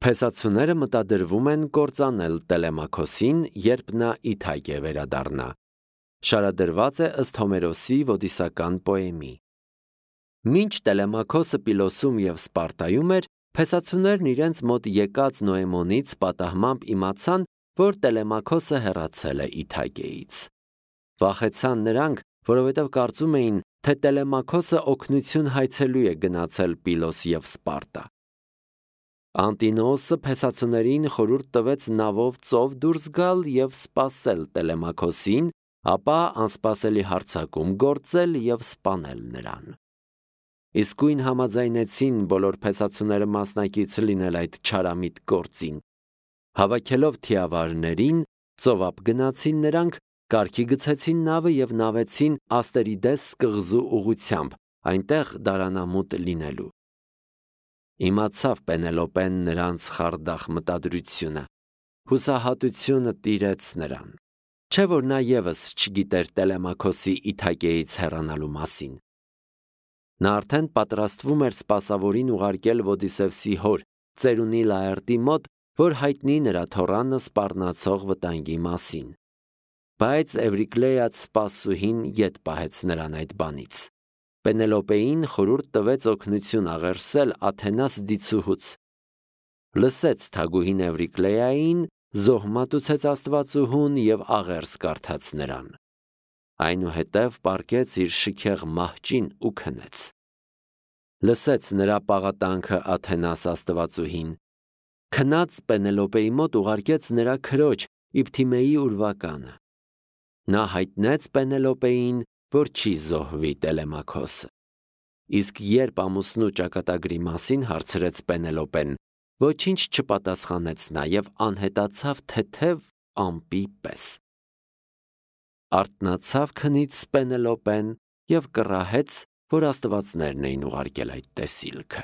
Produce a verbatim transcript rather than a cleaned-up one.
Փեսացուները մտադրվում են կործանել Տելեմաքոսին, երբ նա Իթայք է վերադառնա։ Շարադրված է ըստ Հոմերոսի ոդիսական պոեմի։ Մինչ Տելեմաքոսը Պիլոսում և Սպարտայում էր, փեսացուներն իրենց մոտ եկած Նոեմոնից պատահմամբ իմացան, որ Տելեմաքոսը հեռացել է Իթայքեից։ Վախեցան նրանք, որովհետև կարծում էին, թե Տելեմաքոսը օգնություն հայցելու է գնացել Պիլոս և Սպարտա։ Անտինոոսը փեսացուներին խորհուրդ տվեց նավով ծով դուրս գալ և սպասել Տելեմաքոսին, ապա անսպասելի հարձակում գործել և սպանել նրան։ Իսկույն համաձայնեցին բոլոր փեսացուները մասնակից լինել այդ չարամիտ գործին։ Հավաքելով թիավարներին, ծովափ գնացին նրանք, կարգի գցեցին նավը և նավեցին Աստերիդես կղզու ուղղությամբ, այնտեղ դարանամուտ լինելու։ Իմացավ Պենելոպեն նրանց խարդախ մտադրությունը, հուսահատությունը տիրեց նրան, չէ՞ որ նա ևս չգիտեր Տելեմաքոսի Իթայքեից հեռանալու մասին։ Նա արդեն պատրաստվում էր սպասավորին ուղարկել Ոդիսևսի հոր, ծերունի Լաերտի մոտ, որ հայտնի նրա թոռանը սպառնացող վտանգի մասին։ Բայց Էվրիկլեաց սպասուհին ետ պահեց նրան այդ բանից։ Պենելոպեին խորհուրդ տվեց օգնություն աղերսել Աթենաս դիցուհուց։ Լսեց թագուհին Էվրիկլեային, զոհ մատուցեց Աստվածուհուն և աղերս կարդաց նրան։ Այնուհետև պառկեց իր շքեղ մահճին ու քնեց։ Լսեց նրա պաղատանքը Աթենաս Աստվածուհին։ Քնած Պենելոպեի մոտ ուղարկեց նրա քրոջ Իփթիմեի ուրվականը։ Նա հայտնեց Պենելոպեին, որ չի զոհվի Տելեմաքոսը։ Իսկ երբ ամուսնու ճակատագրի մասին հարցրեց Պենելոպեն, ոչինչ չպատասխանեց նա և անհետացավ թեթև ամպի պես։ Արթնացավ քնից Պենելոպեն և կռահեց, որ աստվածներն էին ուղարկել այդ տեսիլքը։